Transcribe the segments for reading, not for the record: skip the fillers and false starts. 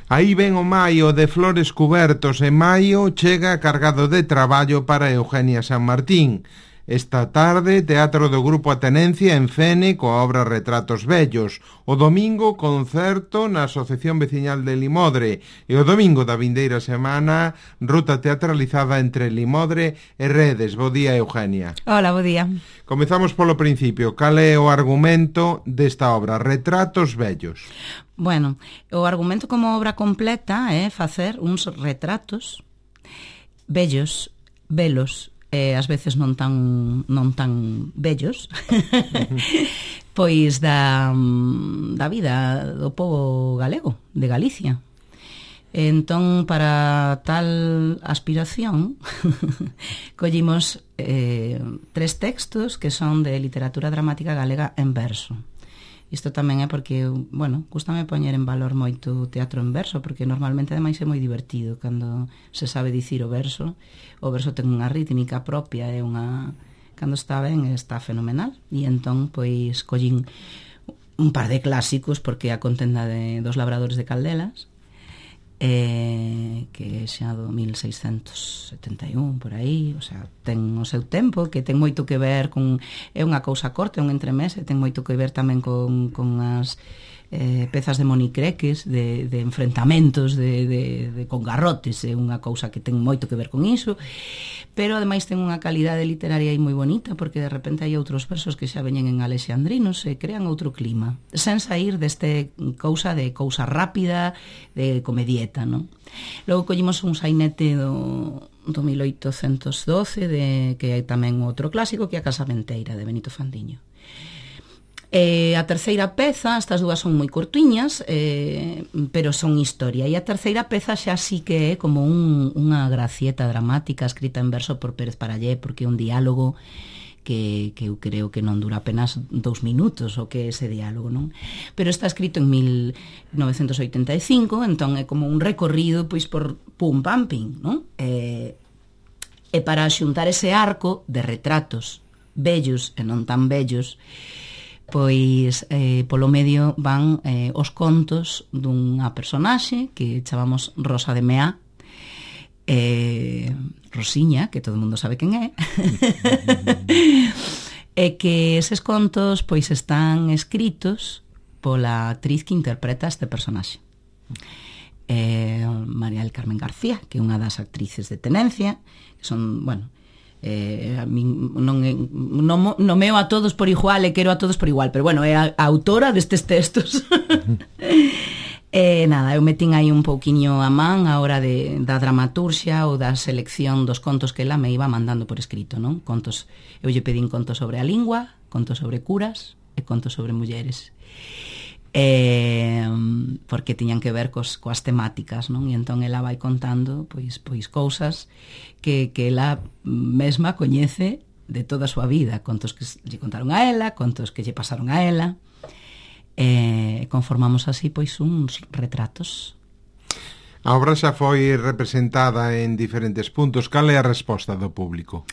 Aí ven o maio de flores cubertos e maio chega cargado de traballo para Eugenia San Martín. Esta tarde, teatro do Grupo Atenencia en Fene coa obra Retratos Vellos. O domingo, concerto na Asociación Veciñal de Limodre. E o domingo da vindeira semana, ruta teatralizada entre Limodre e Redes. Bo día, Eugenia. Hola, bo día. Comezamos polo principio. Cal é o argumento desta obra, Retratos Vellos? Bueno, o argumento como obra completa é facer uns retratos vellos, belos, ás veces non tan bellos, pois da vida do povo galego, de Galicia. Entón, para tal aspiración, collimos 3 textos que son de literatura dramática galega en verso. Isto tamén é porque, bueno, gústame poñer en valor moito o teatro en verso, porque normalmente ademais é moi divertido cando se sabe dicir o verso ten unha rítmica propia, é unha, cando está ben está fenomenal, e entón pois collín un par de clásicos, porque a contenda dos labradores de Caldelas, que xa do 1671 por aí, o sea, ten o seu tempo, que ten moito que ver con, é unha cousa corta, é un entremés, e ten moito que ver tamén con as pezas de monicreques, de enfrentamentos con garrotes, é unha cousa que ten moito que ver con iso, pero ademais ten unha calidade literaria aí moi bonita, porque de repente hai outros versos que xa veñen en alexandrinos e crean outro clima, sen sair deste cousa rápida, de comedieta, non? Logo collimos un sainete do 1812, que hai tamén outro clásico, que é a Casamenteira, de Benito Fandiño. A terceira peza, estas dúas son moi cortiñas, pero son historia, e a terceira peza xa sí que é como unha gracieta dramática escrita en verso por Pérez Parallé, porque é un diálogo que eu creo que non dura apenas 2 minutos o que é ese diálogo, non? Pero está escrito en 1985, entón é como un recorrido pois por pum pam pim, non? E para xuntar ese arco de retratos bellos e non tan bellos, pois polo medio van os contos dunha personaxe que chamamos Rosa de Meá, Rosiña, que todo o mundo sabe quen é, e que eses contos pois están escritos pola actriz que interpreta este personaxe, María del Carmen García, que é unha das actrices de Tenencia, que son, bueno, a min non meo a todos por igual e quero a todos por igual, pero bueno, é a autora destes textos. Nada, eu metín aí un pouquiño a man a hora da dramaturxia ou da selección dos contos que ela me iba mandando por escrito, non? Contos, eu lle pedín contos sobre a lingua, contos sobre curas e contos sobre mulleres, porque tiñan que ver coas temáticas, non? E entón ela vai contando pois cousas que ela mesma coñece de toda a súa vida, contos que lle contaron a ela, contos que lle pasaron a ela, conformamos así pois uns retratos. A obra xa foi representada en diferentes puntos. Cal é a resposta do público?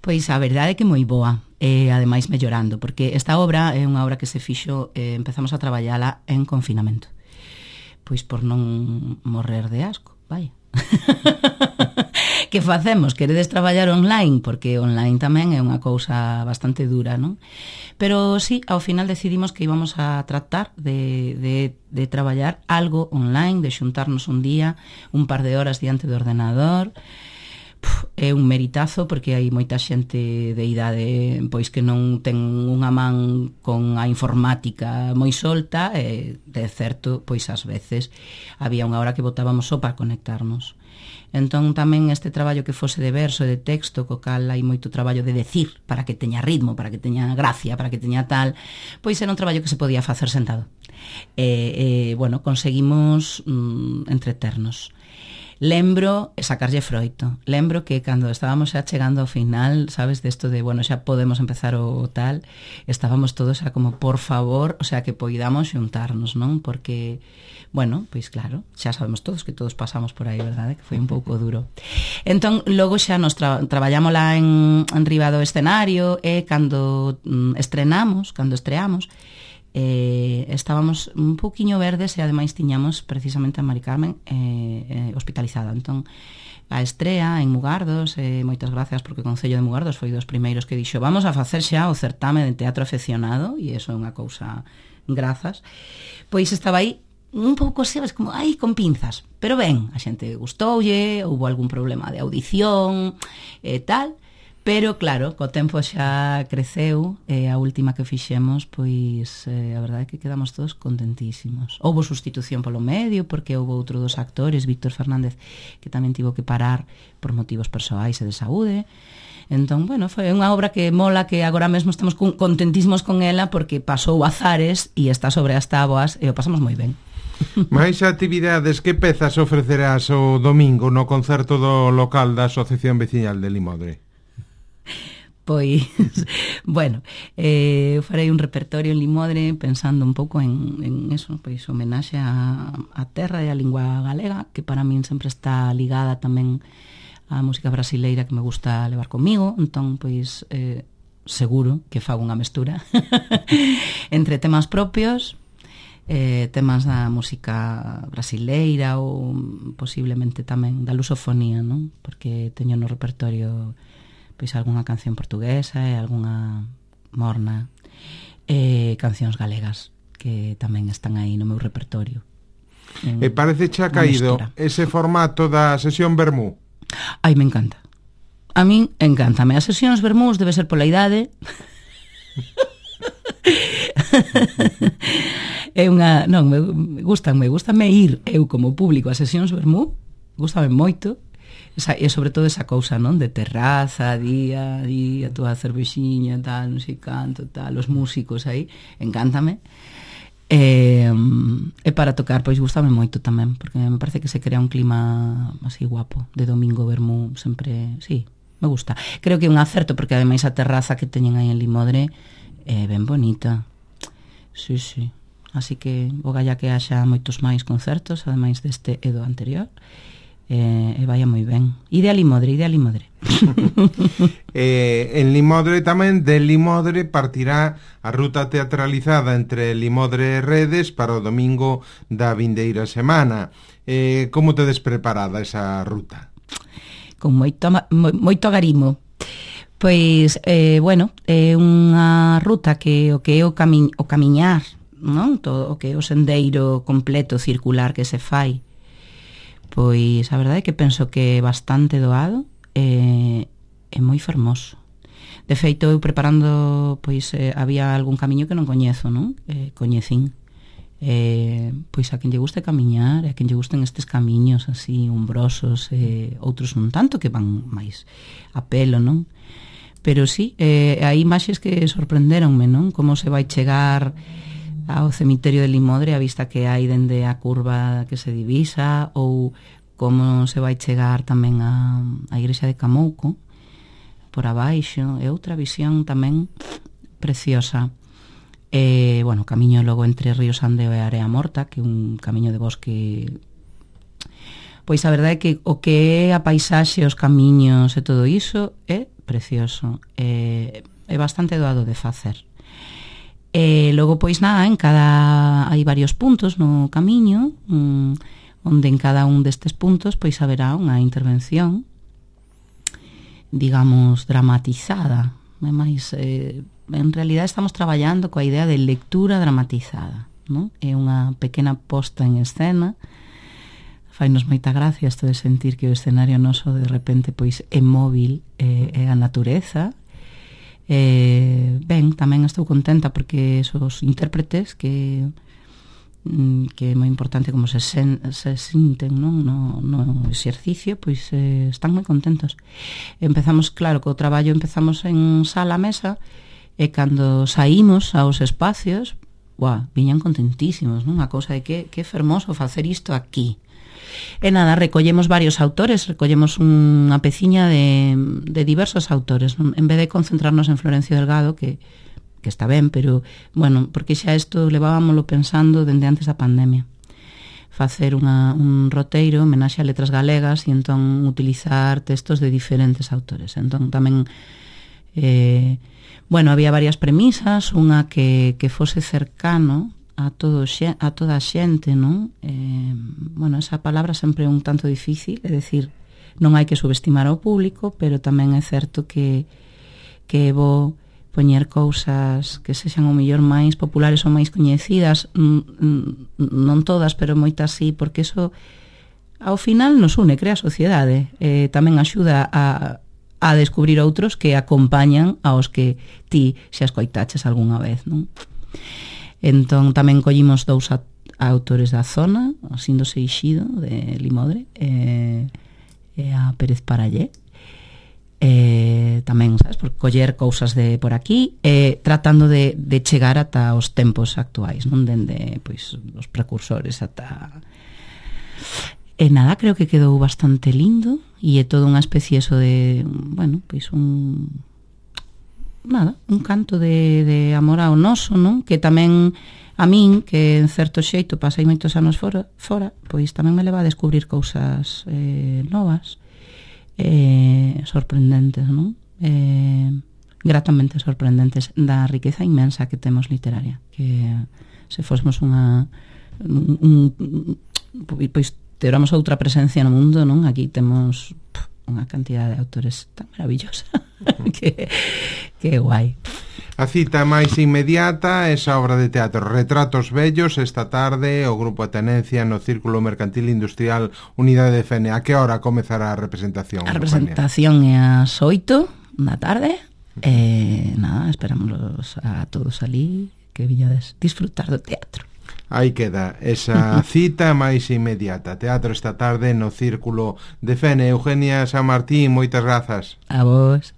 Pois a verdade é que moi boa, e ademais mellorando, porque esta obra é unha obra que se fixo, empezamos a traballala en confinamento, pois por non morrer de asco, vai. Que facemos? Queredes traballar online? Porque online tamén é unha cousa bastante dura, non? Pero sí, ao final decidimos que íbamos a tratar de traballar algo online, de xuntarnos un día, un par de horas diante do ordenador. É un meritazo, porque hai moita xente de idade pois que non ten unha man con a informática moi solta, e de certo, pois ás veces había unha hora que botábamos só para conectarnos. Entón tamén este traballo que fose de verso e de texto, co cal hai moito traballo de decir, para que teña ritmo, para que teña gracia, para que teña tal, pois era un traballo que se podía facer sentado. Bueno, conseguimos entreternos. Lembro sacarlle froito. Lembro que cando estábamos xa chegando ao final, sabes, desto de, bueno, xa podemos empezar o tal, estábamos todos xa como, por favor, o sea, que poidamos xuntarnos, non? Porque, bueno, pois claro, xa sabemos todos que todos pasamos por aí, verdade? Que foi un pouco duro. Entón, logo xa nos traballámola en riba do escenario, e cando estreamos, estábamos un pouquiño verdes e ademais tiñamos precisamente a Mari Carmen hospitalizada. Entón, a estrea en Mugardos, moitas gracias porque o Concello de Mugardos foi dos primeiros que dixo vamos a facer xa o certame de teatro afeccionado, e iso é unha cousa grazas, pois estaba aí un pouco, sabes, como, con pinzas, pero ben, a xente gustoulle, houve algún problema de audición e tal, pero claro, co tempo xa creceu, e a última que fixemos, pois a verdade é que quedamos todos contentísimos. Houve sustitución polo medio, porque houve outro dos actores, Víctor Fernández, que tamén tivo que parar por motivos persoais e de saúde. Entón, bueno, foi unha obra que mola, que agora mesmo estamos contentísimos con ela, porque pasou azares e está sobre as táboas e o pasamos moi ben. Mais actividades, que pezas ofrecerás o domingo no concerto do local da Asociación Veciñal de Limodre? Pois, bueno, farei un repertorio en Limodre pensando un pouco en eso, pois homenaxe a terra e a lingua galega, que para min sempre está ligada tamén á música brasileira que me gusta levar comigo. Entón, pois, seguro que fago unha mestura entre temas propios, temas da música brasileira ou posiblemente tamén da lusofonía, non? Porque teño no repertorio pois algunha canción portuguesa e algunha morna, cancións galegas que tamén están aí no meu repertorio. E parece xa caído ese formato da sesión vermú? Ai, me encanta. A min encántame. As sesións vermús debe ser pola idade. É unha, non, gustame ir eu como público a sesións vermú, gustame moito. E sobre todo esa cousa, non? De terraza, día, a túa cervexiña, tal, non sei canto, tal, os músicos aí, encántame. E para tocar, pois gustame moito tamén, porque me parece que se crea un clima así guapo, de domingo vermú, sempre, sí, me gusta. Creo que é un acerto, porque ademais a terraza que teñen aí en Limodre é ben bonita. Sí, sí. Así que o galla que haxa moitos máis concertos, ademais deste e do anterior, e vaya moi ben. Ide a Limodre. En Limodre tamén, de Limodre partirá a ruta teatralizada entre Limodre e Redes para o domingo da vindeira semana. Como tedes preparada esa ruta? Con moito agarimo. Pois, bueno, é unha ruta que o camiñar, non? Todo o que é o sendeiro completo circular que se fai, pois a verdade é que penso que é bastante doado e moi fermoso. De feito, eu preparando, pois había algún camiño que non coñezo, non? Coñecín. Pois a quen lle guste camiñar, a quen lle gusten estes camiños así umbrosos, outros un tanto que van máis a pelo, non? Pero sí, hai imaxes que sorprenderonme, non? Como se vai chegar ao cemiterio de Limodre, a vista que hai dende a curva que se divisa, ou como se vai chegar tamén a igrexa de Camouco por abaixo, é outra visión tamén preciosa. Bueno, camiño logo entre Río Sandeo e Area Morta, que é un camiño de bosque. Pois a verdade é que o que é a paisaxe, os camiños e todo iso é precioso, é bastante doado de facer. Logo, pois nada, hai varios puntos no camiño, onde en cada un destes puntos pois haberá unha intervención, digamos, dramatizada. Mas, en realidad estamos traballando coa idea de lectura dramatizada, non? É unha pequena posta en escena. Fainos moita gracia isto de sentir que o escenario noso de repente pois é móvil, é a natureza. Ben, tamén estou contenta porque esos intérpretes que é moi importante como se sinten, non? No exercicio, pois están moi contentos. Empezamos, claro, co traballo empezamos en sala mesa, e cando saímos aos espacios, viñan contentísimos, non? A cousa de que fermoso facer isto aquí. E nada, recollemos varios autores, recollemos unha peciña de diversos autores, non? En vez de concentrarnos en Florencio Delgado, que está ben, pero, bueno, porque xa isto levábamoslo pensando dende antes da pandemia. Facer un roteiro, homenaxe a letras galegas, e entón utilizar textos de diferentes autores. Entón tamén Bueno, había varias premisas, unha que fose cercano a toda a xente, non? Bueno, esa palabra sempre é un tanto difícil, é dicir, non hai que subestimar ao público, pero tamén é certo que é bo poñer cousas que sexan o mellor máis populares ou máis coñecidas, non todas, pero moitas sí, porque eso ao final nos une, crea sociedade, tamén axuda a descubrir outros que acompañan aos que ti xa escoitaches algunha vez, non? Entón tamén collimos 2 autores da zona, o Sindo Seixido de Limodre e a Pérez Parallé, tamén, sabes, por coller cousas de por aquí, tratando de chegar ata os tempos actuais, non, dende pois os precursores ata... E nada, creo que quedou bastante lindo e é todo unha especie eso de, bueno, pois un canto de amor ao noso, non? Que tamén a min, que en certo xeito pasei moitos anos fora, pois tamén me leva a descubrir cousas novas, sorprendentes, non? Gratamente sorprendentes da riqueza inmensa que temos literaria, que se fosemos pois teramos outra presencia no mundo, non? Aquí temos unha cantidad de autores tan maravillosa que guai. A cita máis inmediata, esa obra de teatro Retratos Vellos, esta tarde o Grupo Atenencia no Círculo Mercantil Industrial Unidade de Fene. A que hora comezará a representación? A representación é ás 8 da tarde. Nada, esperamos a todos ali que viñades disfrutar do teatro. Aí queda esa cita máis inmediata. Teatro esta tarde no Círculo de Fene. Eugenia San Martín, moitas grazas. A vos.